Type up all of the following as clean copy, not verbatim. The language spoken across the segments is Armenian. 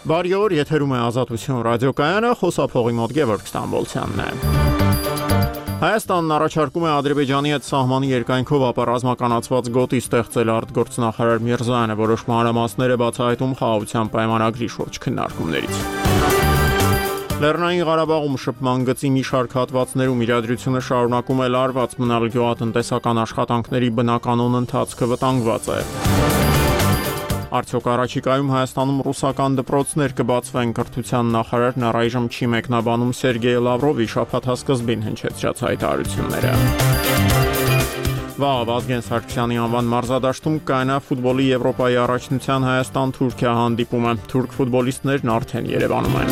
Բարի օր, եթերում է Ազատություն ռադիոկայանը, խոսափողի մոտ Գևորգ Ստամբոլցյանն է։ Հայաստանն առաջարկում է Ադրբեջանի հետ սահմանի երկայնքով ապառազմականացված գոտի ստեղծել արտգործնախարար Միրզոյանը, որոշ մանրամասներ է բացահայտում խաղաղության պայմանագրի շուրջ քննարկումներից։ Լեռնային Ղարաբաղում շփման գծի մի շարք հատվածներում իրադրությունը շարունակում է լարված մնալ գյուղատնտեսական աշխատանքների բնականոն ընթացքը վտանգված է։ Արդյոք առաջիկայում Հայաստանում ռուսական դպրոցներ կբացվեն, կրթության նախարարն առայժմ չի մեկնաբանում Սերգեյ Լավրովի շաբաթասկզբին հնչեցրած հայտարարությունները։ Վաղ Վազգեն Սարգսյանի անվան մարզադաշտում կայանա ֆուտբոլի Եվրոպայի առաջնության Հայաստան-Թուրքիա հանդիպումը։ Թուրք ֆուտբոլիստներն արդեն Երևանում են։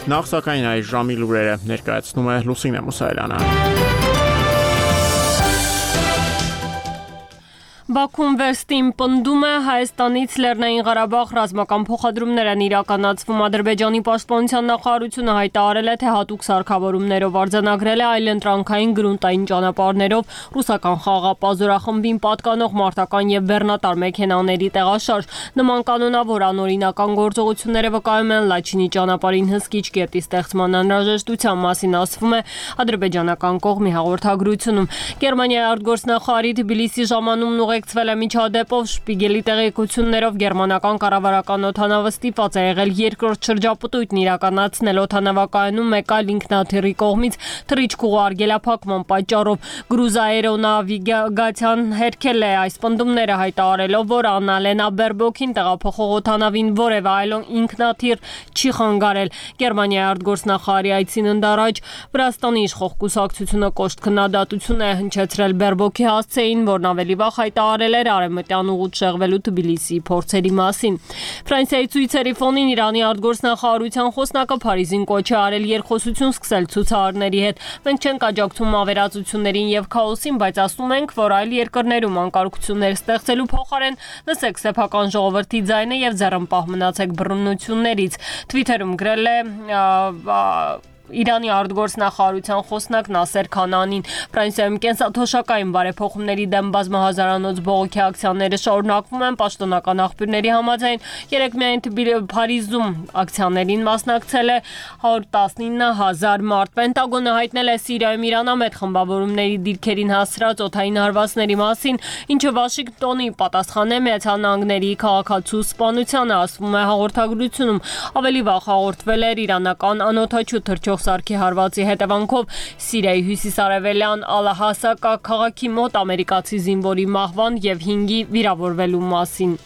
Նախ սակայն այս ժամի լուրերը ներկայացնում է Լուսինե Մուսայելյանը։ Բաքուն վերստին պնդում է Հայաստանից Լեռնային Ղարաբաղ ռազմական փոխադրումներ են իրականացվում։ Ադրբեջանի պաշտպանության նախարարությունը հայտարարել է, թե հատուկ սարքավորումներով արձանագրել է այլընտրանքային գրունտային ճանապարհներով ռուսական խաղաղապազորախմբին պատկանող մարտական եւ բեռնատար մեքենաների տեղաշարժ։ Նման կանոնավոր անօրինական գործողությունները վկայում են Լաչինի ճանապարհին հսկիչ կետի ստեղծման անհրաժեշտության մասին, ասվում է ադրբեջանական կողմի հաղորդագրությունում։ Գերմանիայի արտգործնախարարի Թբիլիսի ժամանումն ուղեկցվել է միջադեպով Շպիգելի տեղեկություններով գերմանական կառավարական օդանավը ստիպված է եղել երկրորդ շրջապտույտն իրականացնել օդանավակայանում մեկ այլ ինքնաթիռի կողմից թռիչք ուղարկելափակման պատճառով։ Գրուզ աերոնավիգացիան հերքել է այս պնդումները, հայտարարելով, որ Աննալենա Բերբոքին տեղափոխող օդանավին որևէ այլ ինքնաթիռ չի խանգարել։ Գերմանիայի արտգործնախարարի այցին ընդառաջ Վրաստանի իշխող կուսակցությունը կոշտ քննադատություն է հնչեցրել Բերբոքի հասցեին, որն ավելի վաղ հայտարարել էր արևմտյան ուղուց շեղվելու Թբիլիսիի փորձերի մասին։ Ֆրանսիայի ցույցերի ֆոնին Իրանի արտգործնախարարության խոսնակը Փարիզին կոչ է արել երկխոսություն սկսել ցուցարարների հետ։ Մենք չենք աջակցում ավերածություններին եւ քաոսին, բայց ասում ենք, որ այլ երկրներում անկարգություններ ստեղծելու փոխարեն լսեք սեփական ժողովրդի ձայնը եւ ձեռնպահ մնացեք բռնություններից։ Թվիթերում գրել է Իրանի արտգործնախարարության խոսնակ Նասեր Քանանին։ Ֆրանսիայում կենսաթոշակային բարեփոխումների դեմ բազմահազարանոց բողոքի ակցիաները շարունակվում են։ Պաշտոնական աղբյուրների համաձայն երեկ միայն Փարիզում ակցիաներին մասնակցել է 119,000 մարդ։ Պենտագոնը հայտնել է Սիրիայում իրանամետ խմբավորումների դիրքերին հասցրած օդային հարվածների մասին, ինչը Վաշինգտոնի պատասխան է Միացյալ Նահանգների քաղաքացու սպանությանը, ասվում է հաղորդագրությունում։ Ավելի վաղ հաղորդվել էր իրանական անօդաչու թռչող սարքի հարվածի հետևանքով Սիրիայի հյուսիսարևելյան Ալ-Հասակա քաղաքի մոտ ամերիկացի զինվորի մահվան եւ 5-ի վիրավորվելու մասին։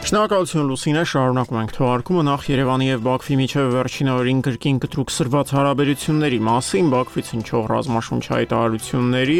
Շնորհակալություն Լուսինե, շարունակում ենք թողարկումը նախ Երևանի եւ Բաքվի միջև վերջին օրերին կրկին կտրուկ սրված հարաբերությունների մասին Բաքվից հնչող ռազմաշունչ հայտարարությունների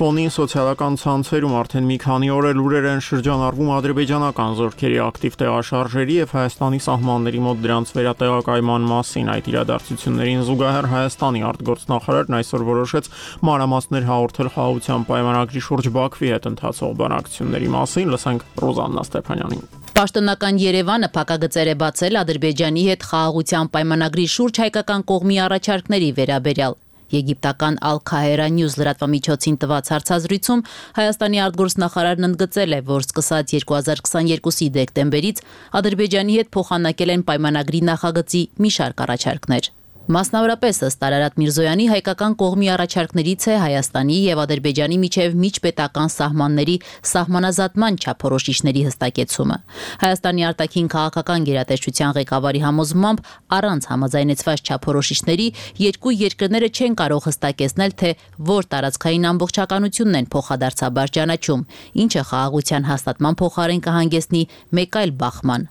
ֆոնին սոցիալական ցանցերում արդեն մի քանի օր է լուրեր են շրջանառվում ադրբեջանական զորքերի ակտիվ տեղաշարժերի եւ Հայաստանի սահմանների մոտ դրանց վերատեղակայման մասին։ Այդ իրադարձություններին զուգահեռ Հայաստանի արտգործնախարարն այսօր որոշեց մանրամասներ հաղորդել խաղաղության պայմանագրի շուրջ Բաքվի հետ ընթացող բանակցությունների մասին։ Լսենք Ռոզաննա Ստեփանյանին։ Պաշտոնական Երևանը փակագծեր է բացել Ադրբեջանի հետ խաղաղության պայմանագրի շուրջ հայկական կողմի առաջարկների վերաբերյալ։ Եգիպտական Al-Khahera News լրատվամիջոցին տված հարցազրույցում Հայաստանի արտգործնախարարն ընդգծել է, որ սկսած 2022-ի դեկտեմբերից Ադրբեջանի հետ փոխանակել են պայմանագրի նախագծի մի շարք առաջարկներ։ Մասնավորապես ըստ Արարատ Միրզոյանի հայկական կողմի առաջարկներից է Հայաստանի եւ Ադրբեջանի միջև միջպետական սահմանների սահմանազատման չափորոշիչների հստակեցումը։ Հայաստանի արտաքին քաղաքական գերատեսչության ղեկավարի համոզմամբ առանց համաձայնեցված չափորոշիչների երկու երկրները չեն կարող հստակեցնել, թե որ տարածքային ամբողջականությունն են փոխադարձաբար ճանաչում, ինչը խաղաղության հաստատման փոխարեն կհանգեցնի մեկ այլ բախման։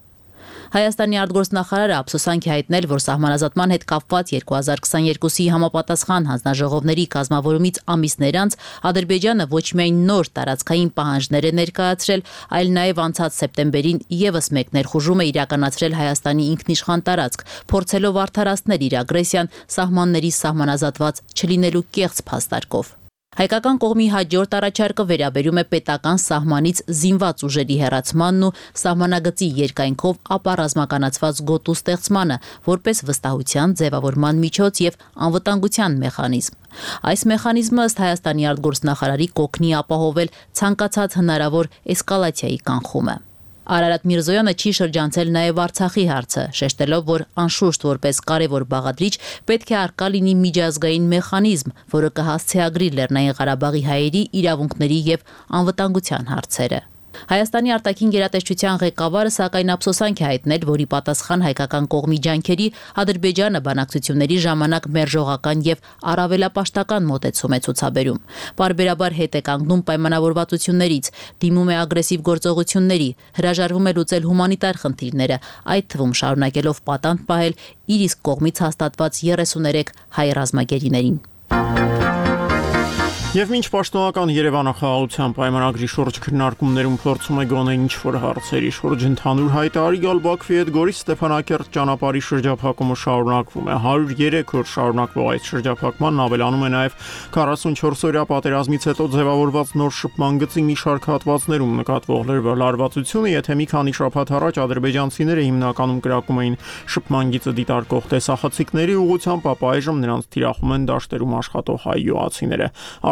Հայաստանի արտգործնախարարը ափսոսանք է հայտնել, որ սահմանազատման հետ կապված 2022-ի համապատասխան հանձնաժողովների կազմավորումից ամիսներ անց Ադրբեջանը ոչ միայն նոր տարածքային պահանջներ է ներկայացրել, այլ նաև անցած սեպտեմբերին եւս մեկ ներխուժում է իրականացրել Հայաստանի ինքնիշխան տարածք, փորձելով արդարացնել իր ագրեսիան սահմանների սահմանազատված չլինելու կեղծ փաստարկով։ Հայկական կողմի հաջորդ առաջարկը վերաբերում է պետական սահմանից զինված ուժերի հեռացմանն ու սահմանագծի երկայնքով ապառազմականացված գոտու ստեղծմանը, որպես վստահության ձևավորման միջոց եւ անվտանգության մեխանիզմ։ Այս մեխանիզմը ըստ Հայաստանի արտգործնախարարի կօգնի ապահովել ցանկացած հնարավոր էսկալացիայի կանխումը։ Արարատ Միրզոյանը չի շրջանցել նաև Արցախի հարցը, շեշտելով, որ անշուշտ որպես կարևոր բաղադրիչ պետք է առկա լինի միջազգային մեխանիզմ, որը կհասցեագրի Լեռնային Ղարաբաղի հայերի իրավունքների եւ անվտանգության հարցերը։ Հայաստանի արտաքին գերատեսչության ղեկավարը սակայն ափսոսանք է հայտնել, որի պատասխան հայկական կողմի ջանքերի Ադրբեջանը բանակցությունների ժամանակ մերժողական եւ առավելապաշտական մոտեցում է ցուցաբերում։ Պարբերաբար հետ է կանգնում պայմանավորվածություններից, դիմում է ագրեսիվ գործողությունների, հրաժարվում է լուծել հումանիտար խնդիրները, այդ թվում շարունակելով պատանդ պահել իր իսկ կողմից հաստատված 33 հայ ռազմագերիներին։ Եվ մինչ պաշտոնական Երևանը խաղաղության պայմանագրի շուրջ քննարկումներում փորձում է գոնե ինչ-որ հարցերի շուրջ ընդհանուր հայտարարի գալ Բաքվի հետ Գորիս Ստեփանակերտ ճանապարհի շրջափակումը շարունակվում է։ 103 օր շարունակվող այս շրջափակմանն ավելանում է նաև 44-օրյա պատերազմից հետո ձևավորված նոր շփման գծի մի շարք հատվածներում նկատվող լարվածությունը, եթե մի քանի շաբաթ առաջ ադրբեջանցիները հիմնականում կրակում էին շփման գիծը դիտարկող տեսախցիկների ուղղությամբ, ապա այժմ նրանց թիրախում են դաշտերում աշխատող հայ յուղացիները։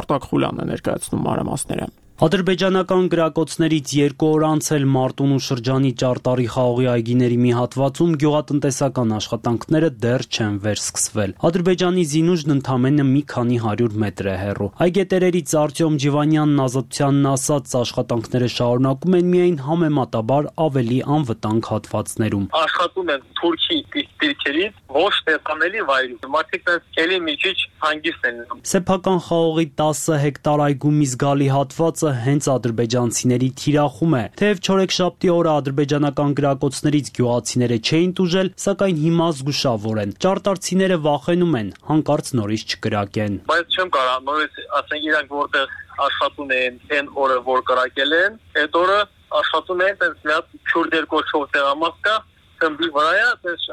Արտակ Խուլյանն է ներկայացնում մանրամասները։ Ադրբեջանական գրակոծներից 2 օր անց էլ Մարտունու շրջանի Ճարտարի խաղողի այգիների մի հատվածում գյուղատնտեսական աշխատանքները դեռ չեն վերսկսվել։ Ադրբեջանի զինուժն ընդամենը մի քանի 100 մետր է հեռու։ Այգետերերից Արտյոմ Ջիվանյանն Ազատությանն ասաց, աշխատանքները շարունակում են միայն համեմատաբար ավելի անվտանգ հատվածներում։ Աշխատում են Թուրքի դիրքերից ոչ տեսանելի վայրում։ Մարդիկ էլի մի քիչ հանգիստ են։ Սեփական խաղողի 10 հեկտար այգու մի զգալի հատվածը հենց ադրբեջանցիների թիրախում է։ Թեև չորեքշաբթի օրը ադրբեջանական գրակոծներից գյուղացիները չէին տուժել, սակայն հիմա զգուշավոր են։ Ճարտարցիները վախենում են, հանկարծ նորից չկրակեն։ Բայց չեմ կարող նորից ասենք իրանք որտեղ աշխատում են այն օրը, որ կրակել են, այդ օրը աշխատում են այնպես մի հատ քուրդեր կոչվող տեղամաս կա, խմբի վրա է, այնպես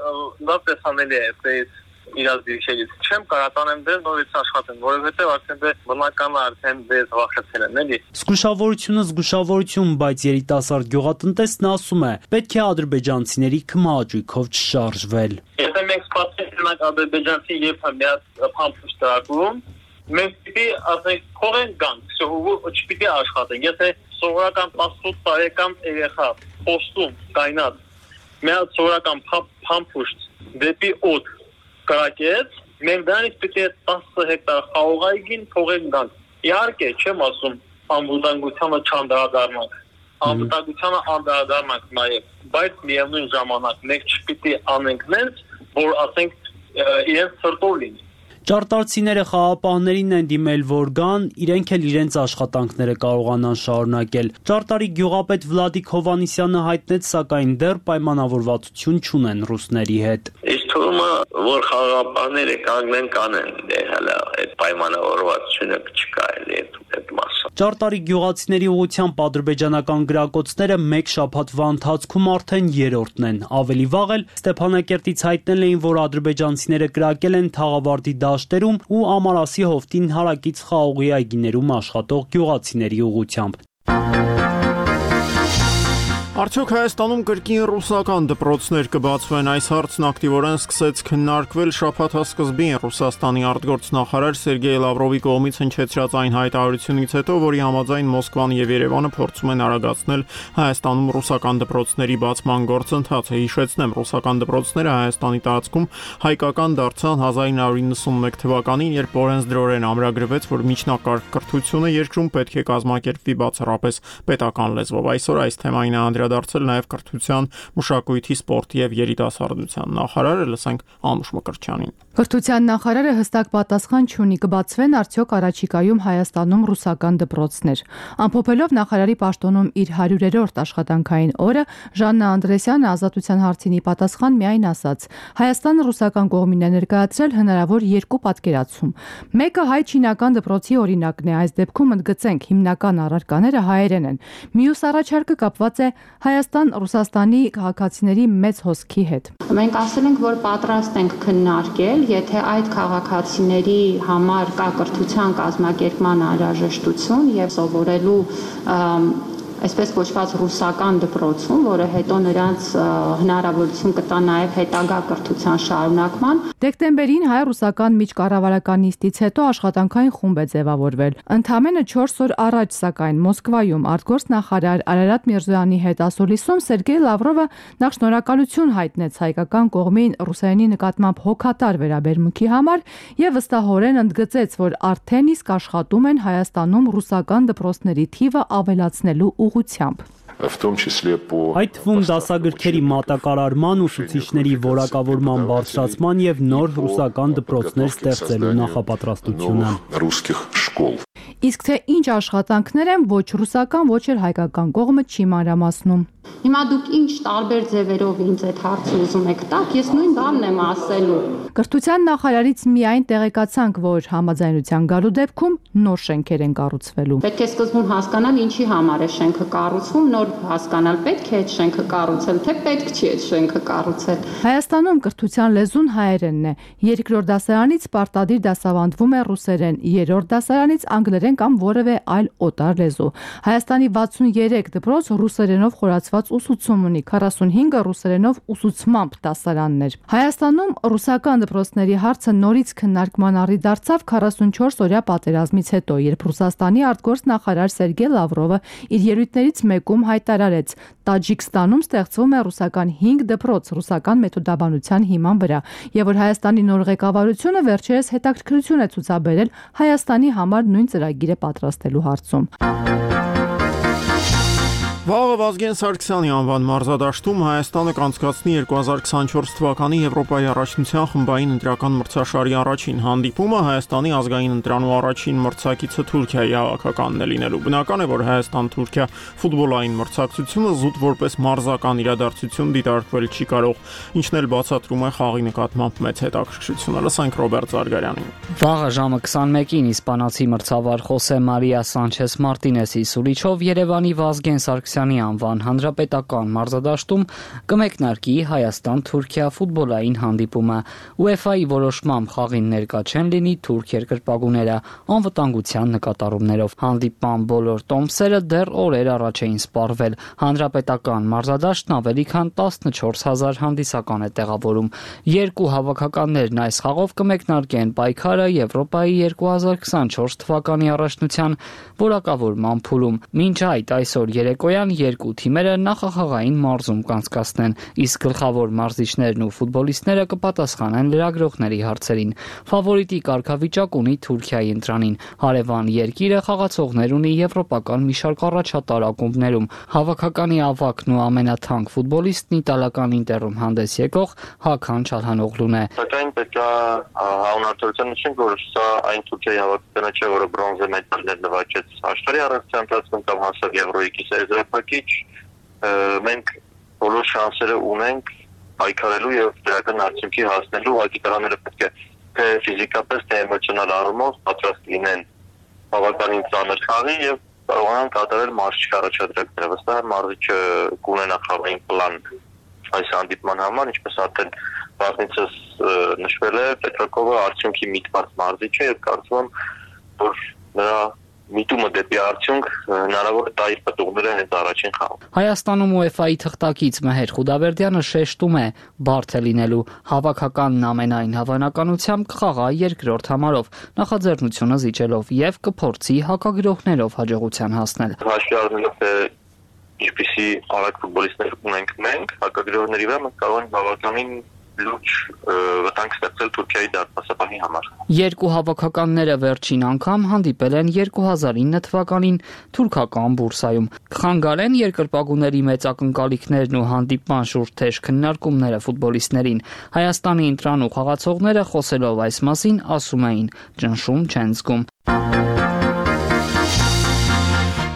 լավ տեսանելի է, այնպես իրաց դիրքերից չեմ կարող տանեմ դեր նորից աշխատեն, որովհետև արդեն դե բնական արդեն դες վախեցել են, էլի։ Զգուշավորություն, բայց երիտասարդ գյուղատնտեսն ասում է, պետք է ադրբեջանցիների քմահաճույքով չշարժվել։ Եթե մենք սպասենք ադրբեջանցի երբ մի հատ փամփուշտ տրակում, մենք պիտի ասենք փողեն գանք, չպիտի աշխատենք։ Եթե սովորական 18 տարեկան երեխա պոստում կայնած մի հատ սովորական փամփուշտ դեպի օդ կրակեց, մենք դրանից պիտի 10 հեկտար խաղողայգին փողեն գանք։ Իհարկե, չեմ ասում անվտանգությանը չանդրադառնանք, անվտանգությանը անդրադառնանք նաև, բայց միևնույն ժամանակ մենք չպիտի անենք նենց, որ ասենք իրենց սրտով լինի։ Ճարտարցիները խաղապահներին են դիմել, որ գան, իրենք էլ իրենց աշխատանքները կարողանան շարունակել։ Ճարտարի գյուղապետ Վլադիկ Հովանիսյանը հայտնեց, սակայն դեռ պայմանավորվածություն չունեն ռուսների հետ։ Իսկ թվում է, որ խաղապահները կանգնեն կանեն, դե հələ այդ պայմանավորվածությունը չկա էլի այդ մասը։ Ճարտարի գյուղացիների ուղղությամբ ադրբեջանական գրակոծները մեկ շաբաթվա ընթացքում արդեն 3-րդն են։ Ավելի վաղ էլ Ստեփանակերտից հայտնել էին, որ ադրբեջանցիները կրակել են Թաղավարտի դաշտերում ու Ամարասի հովտին հարակից խաղողի այգիներում աշխատող գյուղացիների ուղղությամբ։ Արդյոք Հայաստանում կրկին ռուսական դպրոցներ կբացվեն, այս հարցն ակտիվորեն սկսեց քննարկվել շաբաթասկզբին Ռուսաստանի արտգործնախարար Սերգեյ Լավրովի կողմից հնչեցրած այն հայտարարությունից հետո, որի համաձայն Մոսկվան եւ Երևանը փորձում են արագացնել Հայաստանում ռուսական դպրոցների բացման գործընթացը։ Հիշեցնեմ, ռուսական դպրոցները Հայաստանի տարածքում հայկական դարձան 1991 թվականին, երբ օրենսդրորեն ամրագրվեց, որ միջնակարգ կրթությունը երկրում պետք է կազմակերպվի բացառապես պետական լեզվով։ Այսօր այս թեմային անդրադարձել նաև կրթության, մշակույթի, սպորտի եւ երիտասարդության նախարարը, լսենք Անուշ Մկրտչյանին։ Կրթության նախարարը հստակ պատասխան չունի, կբացվեն արդյոք առաջիկայում Հայաստանում ռուսական դպրոցներ։ Ամփոփելով նախարարի պաշտոնում իր 100-րդ աշխատանքային օրը, Ժաննա Անդրեսյանը ազատության հարցինի պատասխան միայն ասաց. Հայաստանը ռուսական կողմին է ներկայացրել հնարավոր երկու պատկերացում։ Մեկը հայ-չինական դպրոցի օրինակն է, այս դեպքում ընդգծենք հիմնական առարկաները հայերեն են։ Մյուս առաջարկը կապված է Հայաստան-Ռուսաստանի քաղաքացիների մեծ հոսքի հետ։ Մենք ասել ենք, որ պատրաստ ենք քննարկել եթե այդ քաղաքացիների համար կա կրթության կազմակերպման անհրաժեշտություն եւ սովորելու այսպես կոչված ռուսական դպրոցում, որը հետո նրանց հնարավորություն կտա նաև հետագա կրթության շարունակման։ Դեկտեմբերին հայ-ռուսական միջկառավարական նիստից հետո աշխատանքային խումբ է ձևավորվել։ Ընդամենը 4 օր առաջ, սակայն, Մոսկվայում արտգործնախարար Արարատ Միրզոյանի հետ ասուլիսում Սերգեյ Լավրովը նախ շնորհակալություն հայտնեց հայկական կողմին Ռուսաստանի նկատմամբ հոգատար վերաբերմունքի համար եւ վստահորեն ընդգծեց, որ արդեն իսկ աշխատում են Հայաստանում ռուսական դպրոցների թիվը ավելացնելու ուղղությամբ։ Այդ թվում դասագրքերի մատակարարման, ուսուցիչների որակավորման բարձրացման եւ նոր ռուսական դպրոցներ ստեղծելու նախապատրաստությունը։ Իսկ թե ինչ աշխատանքներ են, ոչ ռուսական, ոչ էլ հայկական կողմը չի մանրամասնում։ Հիմա դուք ինչ տարբեր ձևերով ինձ այդ հարցը ուզում եք տաք, ես նույն բանն եմ ասելու։ Կրթության նախարարից միայն տեղեկացանք, որ համաձայնության գալու դեպքում նոր շենքեր են կառուցվելու։ Պետք է սկզբում հասկանալ ինչի համար է շենքը կառուցվում, նոր հասկանալ պետք է այդ շենքը կառուցել, թե պետք չի այդ շենքը կառուցել։ Հայաստանում կրթության լեզուն հայերենն է։ Երկրորդ դասարանից պարտադիր դասավանդվում է ռուսերեն, երրորդ դասարանից անգլերեն կամ որևէ այլ օտար լեզու։ Հայաստանի 63 դպրոց ռուսերենով խորացված ուսուցում ունի, 45-ը ռուսերենով ուսուցմամբ դասարաններ։ Հայաստանում ռուսական դպրոցների հարցը նորից քննարկման առիթ դարձավ 44-օրյա պատերազմից հետո, երբ Ռուսաստանի արտգործնախարար Սերգեյ Լավրովը իր ելույթներից մեկում հայտարարեց. Տաջիկստանում ստեղծվում է ռուսական 5 դպրոց ռուսական մեթոդաբանության հիման վրա, եւ որ Հայաստանի նոր ղեկավարությունը վերջերս հետաքրքրություն է ցուցաբերել Հայաստանի համար նույն ծրագիրը պատրաստելու հարցում։ Վաղը Վազգեն Սարգսյանի անվան մարզադաշտում Հայաստանը կանցկացնի 2024 թվականի Եվրոպայի առաջնության խմբային ընտրական մրցաշարի առաջին հանդիպումը Հայաստանի ազգային ընտրանու առաջին մրցակիցը Թուրքիայի հավաքականն է լինելու։ Բնական է, որ Հայաստան-Թուրքիա ֆուտբոլային մրցակցությունը զուտ որպես մարզական իրադարձություն դիտարկվել չի կարող, ինչն էլ բացատրում է խաղի նկատմամբ մեծ հետաքրքրությունը։ Լսենք Ռոբերտ Զարգարյանին։ Վաղը ժամը 21-ին իսպանացի մրցավար Խոսե Մարիա Սանչես Մարտինեսի սուրիչով Երևանի Վազգեն Սարգսյանի անվան հանրապետական մարզադաշտում կմեկնարկի Հայաստան-Թուրքիա ֆուտբոլային հանդիպումը։ UEFA-ի որոշմամբ խաղին ներկա չեն լինի թուրք երկրպագուները անվտանգության նկատառումներով։ Հանդիպման բոլոր տոմսերը դեռ օրեր առաջ էին սպառվել։ Հանրապետական մարզադաշտն ավելի քան 14000 հանդիսական է տեղավորում։ Երկու հավաքականներն այս խաղով կմեկնարկեն պայքարը Եվրոպայի 2024 թվականի առաջնության որակավորման փուլում։ Մինչ այդ այսօր երեկոյան երկու թիմերը նախախաղային մարզում կանցկացնեն, իսկ գլխավոր մարզիչներն ու ֆուտբոլիստները կպատասխանեն լրագրողների հարցերին։ Ֆավորիտի կարգավիճակ ունի Թուրքիայի ընտրանին։ Հարևան երկիրը խաղացողներ ունի եվրոպական մի շարք առաջատար ակումբներում։ Հավաքականի ավագն ու ամենաթանկ ֆուտբոլիստն իտալական Ինտերում հանդես եկող Հական Չալհանօղլուն է։ Սակայն պետք է հանրապետության նշենք, որ սա այն Թուրքիայի հավաքականը չէ, որը բրոնզե մեդալներ նվաճեց աշխարհի առանցքային ընթացքում կամ հասավ Եվրոյի կիսաեզրափակիչ։ Մենք բոլոր շանսերը ունենք պայքարելու եւ դրական արդյունքի հասնելու, ուղղակի տղաները պետք է թե ֆիզիկապես, թե էմոցիոնալ առումով պատրաստ լինեն բավականին ծանր խաղի եւ կարողանան կատարել մարզչի առաջադրանքները։ Վստահ եմ մարզիչը կունենա խաղային պլան այս հանդիպման համար, ինչպես արդեն վաղնիցս նշվել է, Պետրակովը արդյունքի միտված մարզիչ է եւ կարծում եմ, որ նրա միտումը դեպի արդյունք հնարավոր է տա իր պտուղները հենց առաջին խաղում։ Հայաստանում UEFA-ի թղթակից Մեհեր Խուդավերդյանը շեշտում է բարդ է լինելու հավաքականն ամենայն հավանականությամբ կխաղա երկրորդ համարով, նախաձեռնությունը զիջելով եւ կփորձի հակագրողներով հաջողության հասնել։ Հաշվի առնելով թե ինչպիսի արագ ֆուտբոլիստներ ունենք մենք, հակագրողների վրա մենք կարող ենք բավականին լուրջ վտանգ ստեղծել Թուրքիայի դարպասապահի համար։ Երկու հավաքականները վերջին անգամ հանդիպել են 2009 թվականին թուրքական բուրսայում։ Կխանգարեն երկրպագուների մեծ ակնկալիքներն ու հանդիպման շուրջ թեժ քննարկումները ֆուտբոլիստներին։ Հայաստանի ընտրանու խաղացողները խոսելով այս մասին ասում էին՝ ճնշում չեն զգում։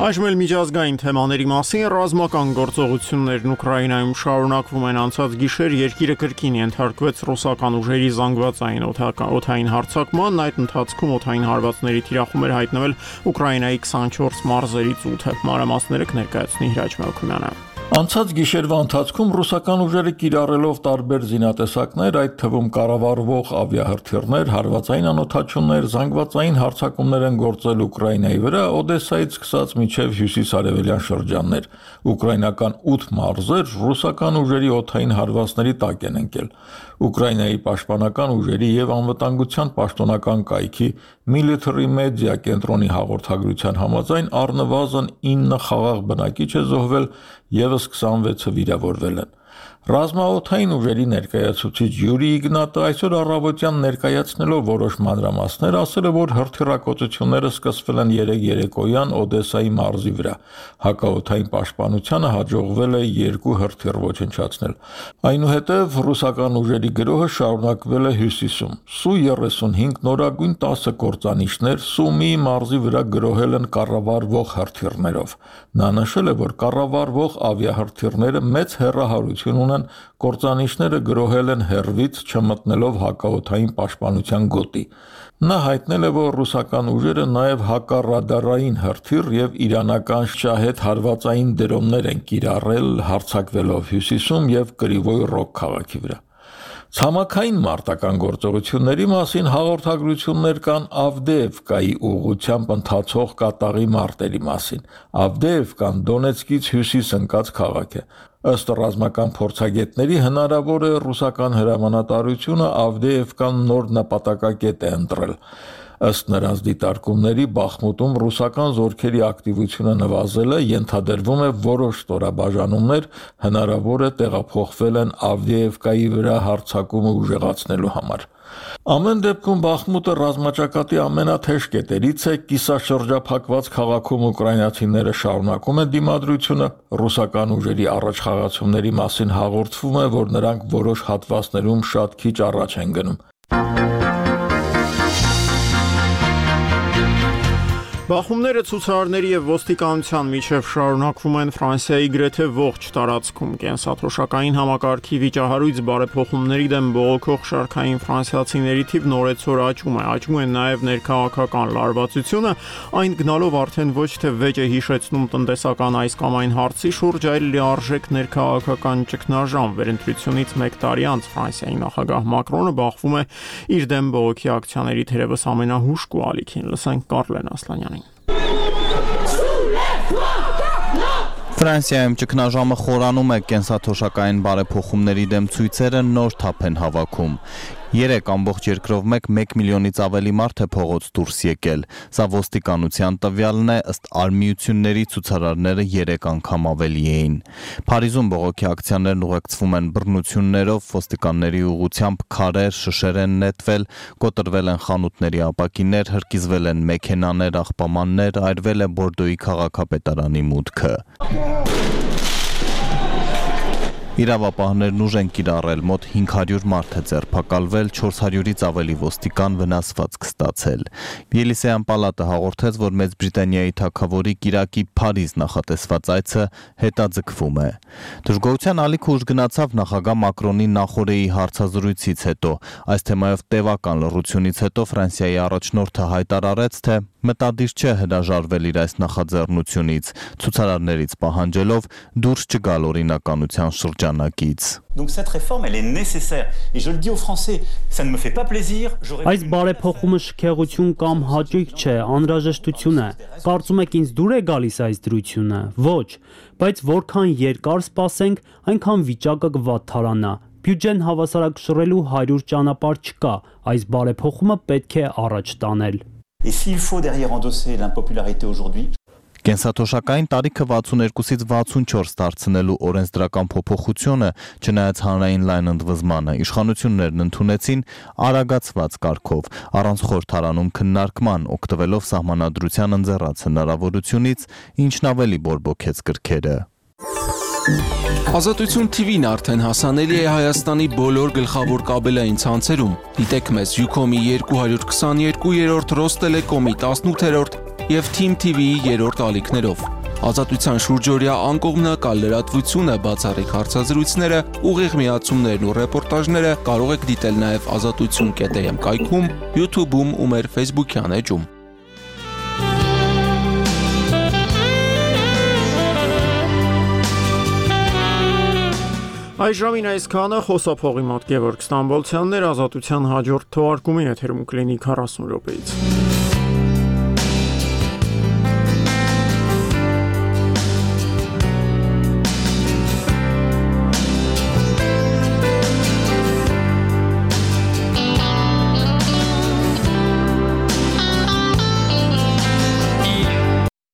Այժմ էլ միջազգային թեմաների մասին ռազմական գործողություններն Ուկրաինայում շարունակվում են անցած գիշեր երկիրը կրկին ենթարկվեց ռուսական ուժերի զանգվածային օդային հարձակման, այդ ընթացքում օդային հարվածների թիրախում էր հայտնվել Ուկրաինայի 24 մարզերից 8-ը։ Մանրամասները կներկայացնի Հրաչ Մելքումյանը։ Անցած գիշերվա ընթացքում ռուսական ուժերը կիրառելով տարբեր զինատեսակներ, այդ թվում կառավարվող ավիահրթիռներ, հարվածային անօթաչուններ, զանգվածային հարձակումներ են գործել Ուկրաինայի վրա, Օդեսայից սկսած մինչև հյուսիսարևելյան շրջաններ։ Ուկրաինական 8 մարզեր ռուսական ուժերի օդային հարվածների տակ են ընկել։ Ուկրաինայի պաշտպանական ուժերի եւ անվտանգության պաշտոնական կայքի Military Media կենտրոնի հաղորդագրության համաձայն առնվազն 9 խաղաղ բնակիչ է զոհվել, եւս 26-ը վիրավորվել են։ Ռազմաօդային ուժերի ներկայացուցիչ Յուրի Իգնատը այսօր առավոտյան ներկայացնելով որոշ մանրամասներ ասել է, որ հրթիռակոծությունները սկսվել են 3 երեկոյան Օդեսայի մարզի վրա։ Հակաօդային պաշտպանությանը հաջողվել է 2 հրթիռ ոչնչացնել։ Այնուհետև ռուսական ուժերի գրոհը շարունակվել է հյուսիսում։ Սու-35 նորագույն 10 կործանիչներ Սումի մարզի վրա գրոհել են կառավարվող հրթիռներով։ Նա նշել է, որ կառավարվող ավիահրթիռները մեծ հեռահարություն ունեն, կործանիչները գրոհել են հեռվից, չմտնելով հակաօդային պաշտպանության գոտի։ Նա հայտնել է, որ ռուսական ուժերը նաև հակառադարային հրթիռ եւ իրանական շահեդ հարվածային դրոններ են կիրառել, հարձակվելով հյուսիսում եւ Կրիվոյ Ռոգ քաղաքի վրա։ Ցամաքային մարտական գործողությունների մասին հաղորդագրություններ կան Ավդեևկայի ուղղությամբ ընթացող կատաղի մարտերի մասին։ Ավդեևկան Դոնեցկից հյուսիս ընկած քաղաք է։ Ըստ ռազմական փորձագետների հնարավոր է ռուսական հրամանատարությունը Ավդեևկան նոր նպատակակետ է ընտրել։ Ըստ նրանց դիտարկումների Բախմուտում ռուսական զորքերի ակտիվությունը նվազել է, ենթադրվում է որոշ ստորաբաժանումներ հնարավոր է տեղափոխվել են Ավդեևկայի վրա հարձակումը ուժեղացնելու համար։ Ամեն դեպքում Բախմուտը ռազմաճակատի ամենաթեժ կետերից է, կիսաշրջափակված քաղաքում ուկրաինացիները շարունակում են դիմադրությունը, ռուսական ուժերի առաջխաղացումների մասին հաղորդվում է, որ նրանք որոշ հատվածներում շատ քիչ առաջ են գնում։ Բախումները ցուցարարների եւ ոստիկանության միջև շարունակվում են Ֆրանսիայի գրեթե ողջ տարածքում։ Կենսաթոշակային համակարգի վիճահարույց բարեփոխումների դեմ բողոքող շարքային ֆրանսիացիների թիվն օրեցօր աճում է։ Աճում է նաեւ ներքաղաքական լարվածությունը, այն գնալով արդեն ոչ թե վեճ է հիշեցնում տնտեսական այս կամ այն հարցի շուրջ, այլ լիարժեք ներքաղաքական ճգնաժամ։ Վերընտրությունից 1 տարի անց Ֆրանսիայի նախագահ Մակրոնը բախվում է իր դեմ բողոքի ակցիաների թերևս ամենահուշկու ալիքին։ Լսենք Կարլեն Ասլանյանին։ Ֆրանսիայում ճգնաժամը խորանում է, կենսաթոշակային բարեփոխումների դեմ ցույցերը նոր թափ են հավաքում։ 3 ամբողջ երկրով 1 միլիոնից ավելի մարդ է փողոց դուրս եկել։ Սա ոստիկանության տվյալն է, ըստ արմիությունների ցուցարարները 3 անգամ ավելի էին։ Փարիզում բողոքի ակցիաներն ուղեկցվում են բռնություններով, ոստիկանների ուղղությամբ քարեր, շշեր են նետվել, կոտրվել են խանութների ապակիներ, հրկիզվել են մեքենաներ, աղբամաններ, այրվել է Բորդոյի քաղաքապետարանի մուտքը։ Իրավապահներն ուժ են կիրառել, մոտ 500 մարդ է ձերբակալվել, 400-ից ավելի ոստիկան վնասվածք ստացել։ Ելիսեյան պալատը հաղորդեց, որ Մեծ Բրիտանիայի թագավորի կիրակի Փարիզ նախատեսված այցը հետաձգվում է։ Դժգոհության ալիքը ուժ գնացավ նախագահ Մակրոնի նախօրեի հարցազրույցից հետո։ Այս թեմայով տևական լռությունից հետո Ֆրանսիայի առաջնորդը հայտարարեց, թե մտադիր չէ հրաժարվել իր այս նախաձեռնությունից, ցուցարարներից պահանջելով դուրս չգալ օրինականության շրջանակից։ Donc cette réforme elle est nécessaire et je le dis aux Français, ça ne me fait pas plaisir, Այս բարեփոխումը շքեղություն կամ հաճույք չէ, անհրաժեշտություն է։ Կարծում եք ինձ դուր է գալիս այս դրությունը։ Ոչ, բայց որքան երկար սպասենք, այնքան վիճակը կվատթարանա։ Բյուջեն հավասարակշռելու 100 ճանապարհ չկա, այս բարեփոխումը պետք է առաջ տանել։ Et s'il faut derrière endosser l'impopularité aujourd'hui, Կենսաթոշակային տարիքը 62-ից 64 դարձնելու օրենսդրական փոփոխությունը, չնայած հանրային լայն ընդվզմանը, իշխանություններն ընդունեցին արագացված կարգով, առանց խորհրդարանում քննարկման, օգտվելով սահմանադրության ընձեռած հնարավորությունից, ինչն ավելի բորբոքեց կրքերը։ Ազատություն TV-ն արդեն հասանելի է Հայաստանի բոլոր գլխավոր կաբելային ցանցերում։ Դիտեք մեզ Ucom-ի 222-րդ, Ռոստելեկոմի 18-րդ և Team TV-ի 3-րդ ալիքներով։ Ազատության շուրջօրյա անկողմնակալ լրատվությունը, բացառիկ հարցազրույցները, ուղիղ միացումներն ու ռեպորտաժները կարող եք դիտել նաև azatutsun.am կայքում, YouTube-ում ու մեր Facebook-յան էջում։ Այս ժամին այսքանը խոսափողի մոտ Գևորգ Ստամբոլցյանն էր, Ազատության հաջորդ թողարկումը եթերում կլինի 40 րոպեից։